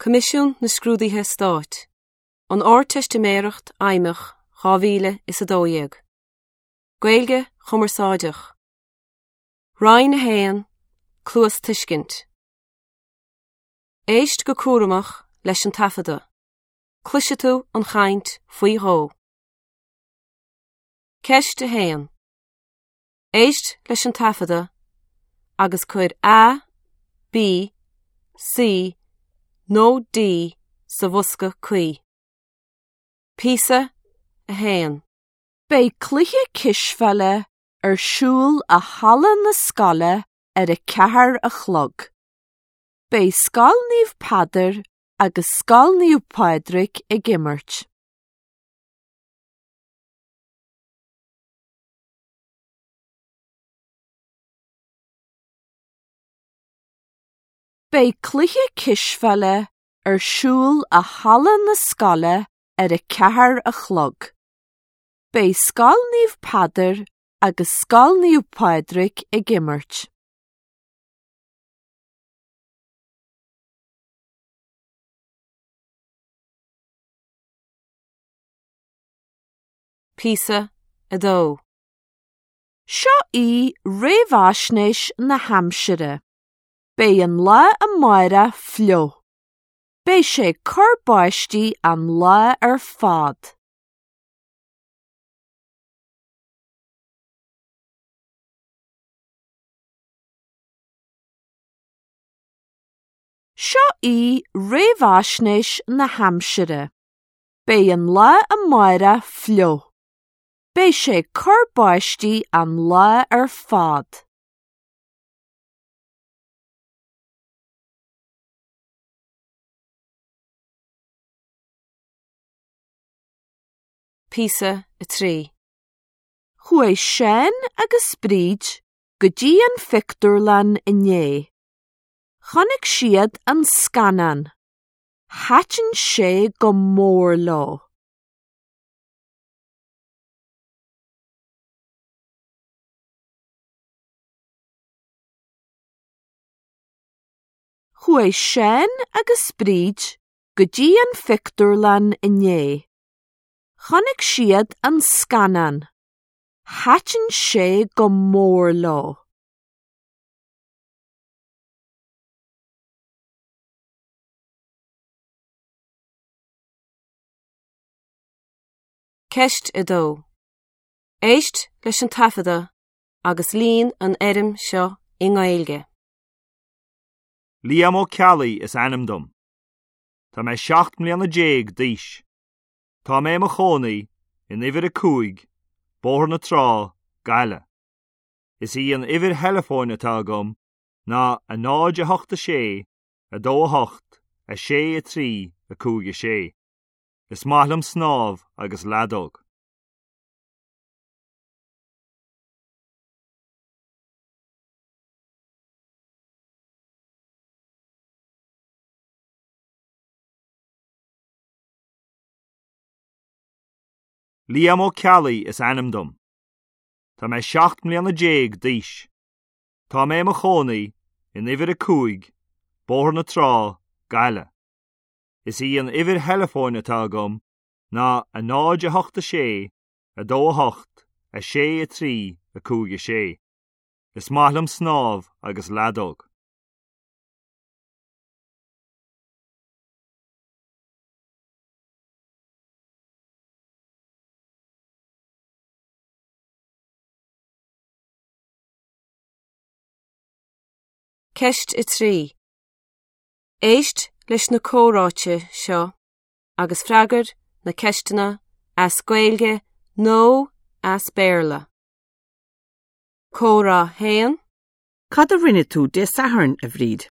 Coimisiún na Scrúduithe Stáit, An Ardteistiméireacht Fheidhmeach 2012. Gaeilge Chumarsáideach. Roinn 1, Cluastuiscint. Éist go cúramach leis an taifeadadh. Cloisfidh tú an chaint faoi dhó. Ceist 1. Éist leis an taifeadadh agus cuir A, B, C nó D sa bhosca cuí. Píosa 1. Beidh cluiche cispheile ar siúl i halla na scoile ar a ceathair a chlog. Beidh Scoil Naomh Peadar agus Scoil Naomh Pádraig ag imirt. Beidh cluiche cispheile ar siúl i halla na scoile ar a ceathair a chlog. Beidh Scoil Naomh Peadar agus Scoil Naomh Pádraig ag imirt. Píosa 2. Seo í réamhaisnéis na haimsire. Beidh an lá amárach fliuch. Beidh sé ag cur báistí an lá ar fad. Seo í réamhaisnéis na haimsire. Beidh an lá amárach fliuch. Beidh sé ag cur báistí an lá ar fad. Píosa 3. Chuaigh Seán agus Bríd go dtí an phictiúrlann inné. Chonaic siad an scannán. Thaitin sé go mór leo. Chuaigh Seán agus Bríd go dtí an phictiúrlann inné. Chonaic siad an scannán. Thaitin sé go mór leo. Ceist 2. Éist leis an taifeadadh agus líon an fhoirm seo i nGaeilge. Liam Ó Ceallaigh is ainm dom. Tá mé 17 mbliana d'aois. Tá mé i mo chónaí in uimhir 5, Bóthar na Trá, Gaillimh. Is í an uimhir theileafóin atá agam ná 0 8 6 2 8 6 3 5 6. Is maith liom snámh agus leadóg. Liam Ó Ceallaigh is ainm dom. Tá mé 17 mbliana d'aois. Tá mé i mo chónaí in uimhir 5, Bóthar na Trá, Gaillimh. Is í an uimhir theileafóin atá agam ná 0 8 6 2 8 6 3 5 6. Is maith liom snámh agus leadóg. Ceist 3. Éist leis na comhráite seo agus freagair na ceisteanna as Gaeilge nó as Béarla. Comhrá 1. Cad a rinne tú Dé Sathairn, a Bhríd?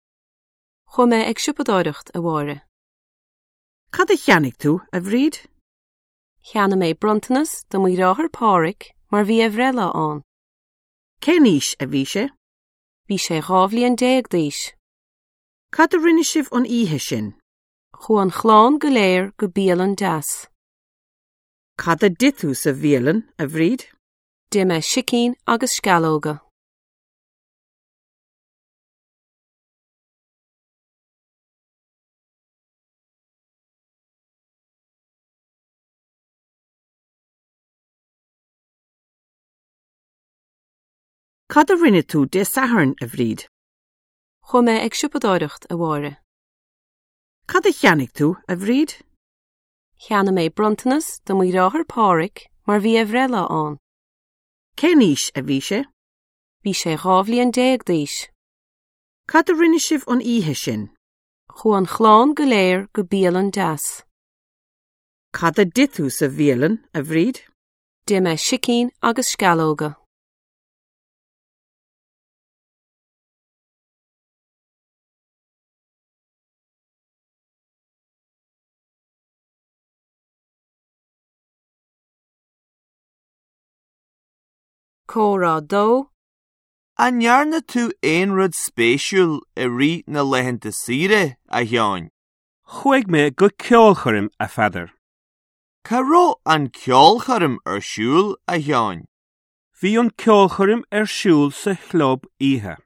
Chuaigh mé ag siopadóireacht, a Mháire. Cad a cheannaigh tú, a Bhríd? Cheannaigh mé bronntanas do mo dheartháir Páraic mar bhí a bhreithlá ann. Cén aois a bhí sé? Bhí sé 12 bhliain d'aois. Cad a rinne sibh an oíche sin? Chuaigh an chlann go léir go bialann deas. Cad a d'ith tú sa bhialann, a Bhríd? D'ith mé sicín agus sceallóga. Cad a rinne tú Dé Sathairn, a Bhríd? Chuaigh mé ag siopadóireacht, a Mháire. Cad a cheannaigh tú, a Bhríd? Cheannaigh mé bronntanas do mo dheartháir Páraic mar bhí a bhreithlá ann. Cén aois a bhí sé? Bhí sé 12 bhliain d'aois. Cad a rinne sibh an oíche sin? Chuaigh an chlann go léir go bialann deas. Cad a d'ith tú sa bhialann, a Bhríd? D'ith mé sicín agus sceallóga. Comhrá 2. An ndearna tú aon rud spéisiúil i rith na laethanta saoire, a Sheáin? Chuaigh mé go ceolchoirm, a Pheadair. Cá raibh an ceolchoirm ar siúl, a Sheáin? Bhí an ceolchoirm ar siúl sa chlub oíche.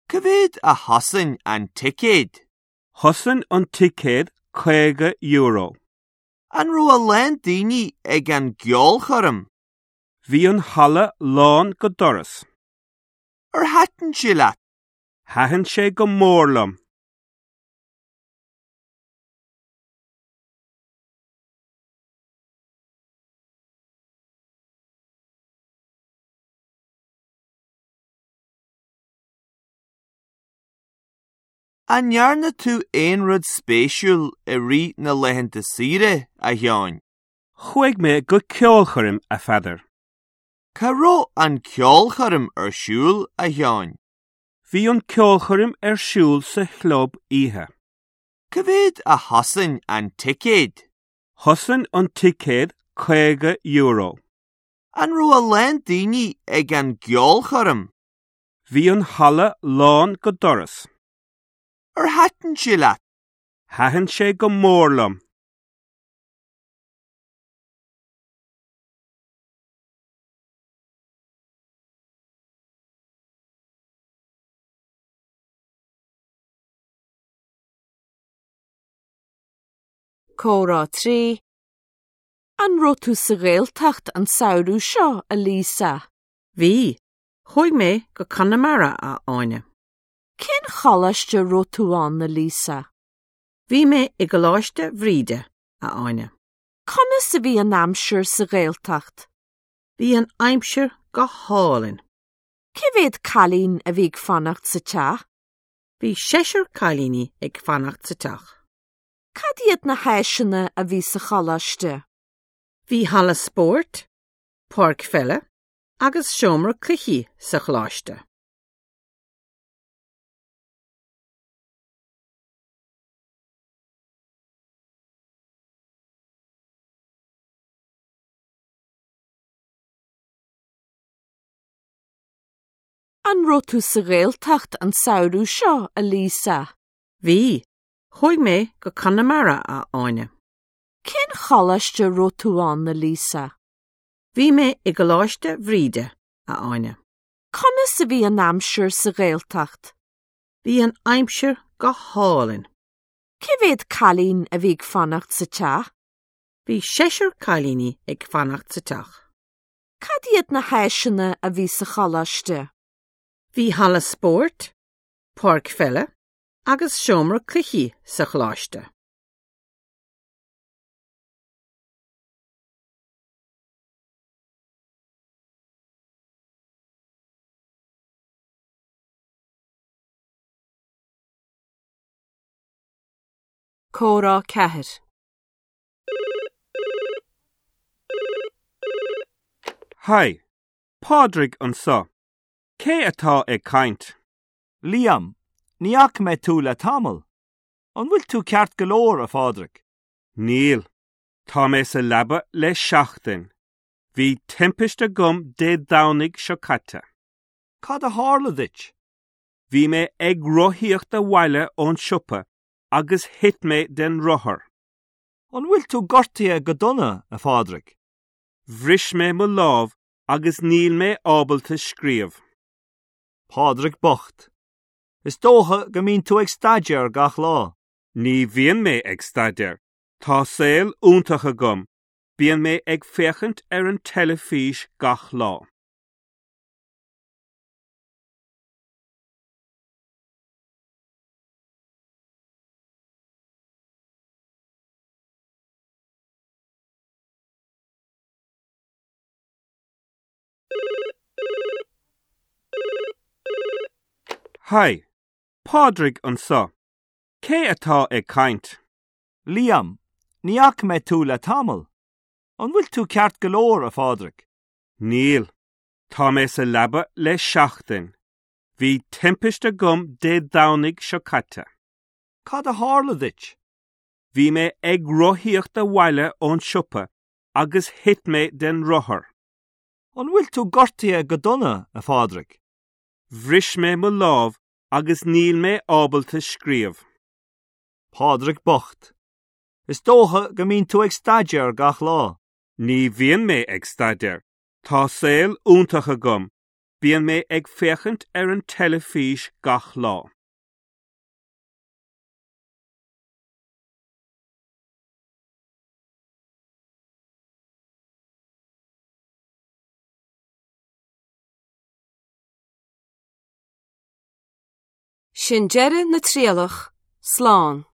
Cá mhéad a chosain an ticéad? Chosain an ticéad €50. An raibh a lán daoine ag an gceolchoirm? Bhí an halla lán go doras. Ar thaitin sé leat? Thaitin sé go mór liom. An ndearna tú aon rud spéisiúil i rith na laethanta saoire, a Sheáin? Chuaigh mé go ceolchoirm, a Pheadair. Cá raibh an ceolchoirm ar siúl, a Sheáin? Bhí an ceolchoirm ar siúl sa chlub oíche. Cá mhéad a chosain an ticéad? Chosain an ticéad €50. An raibh a lán daoine ag an gceolchoirm? Bhí an halla lán go doras. Ar thaitin sé leat? Thaitin sé go mór liom. Comhrá 3. An raibh tú sa Ghaeltacht an samhradh seo, a Lisa? Bhí. Chuaigh mé go Conamara, a Áine. Cén choláiste a raibh tú ann, a Lisa? Bhí mé i gColáiste Bhríde, a Áine. Conas a bhí an aimsir sa Ghaeltacht? Bhí an aimsir go hálainn. Cé mhéad cailín a bhí ag fanacht sa teach? Bhí seisear cailíní ag fanacht sa teach. Cad iad na háiseanna a bhí sa choláiste? Bhí halla spóirt, páirc pheile agus seomra cluichí sa choláiste. An raibh tú sa Ghaeltacht an samhradh seo, a Lisa? Bhí. Chuaigh mé go Conamara, a Áine. Cén choláiste a raibh tú ann, a Lisa? Bhí mé i gColáiste Bhríde, a Áine. Conas a bhí an aimsir sa Ghaeltacht? Bhí an aimsir go hálainn. Cé mhéad cailín a bhí ag fanacht sa teach? Bhí seisear cailíní ag fanacht sa teach. Cad iad na háiseanna a bhí sa choláiste? Bhí halla spóirt, páirc pheile agus seomra cluichí sa choláiste. Comhrá 4. Haigh, Pádraig anseo. Cé atá ag caint? Liam, ní fhaca mé tú le tamall. An bhfuil tú ceart go leor, a Phádraig? Níl. Tá mé sa leaba le seachtain. Bhí timpiste agam Dé Domhnaigh seo caite. Cad a tharla duit? Bhí mé ag rothaíocht abhaile ón siopa agus thit mé den rothar. An bhfuil tú gortaithe go dona, a Phádraig? Bhris mé mo lámh agus níl mé ábalta scríobh. Pádraig bocht. Is dócha go mbíonn tú ag staidéar gach lá. Ní bhíonn mé ag staidéar. Tá saol iontach agam. Bíonn mé ag féachaint ar an teilifís gach lá. Haigh, Pádraig anseo. Cé atá ag caint? Liam, ní fhaca mé tú le tamall. An bhfuil tú ceart go leor, a Phádraig? Níl. Tá mé sa leaba le seachtain. Bhí timpiste agam Dé Domhnaigh seo caite. Cad a tharla duit? Bhí mé ag rothaíocht abhaile ón siopa agus thit mé den rothar. An bhfuil tú gortaithe go dona, a Phádraig? Bhris mé mo lámh agus níl mé ábalta scríobh. Pádraig bocht. Is dócha go mbíonn tú ag staidéar gach lá. Ní bhíonn mé ag staidéar. Tá saol iontach agam. Bíonn mé ag féachaint ar an teilifís gach lá. Sin deireadh na trialach, slán.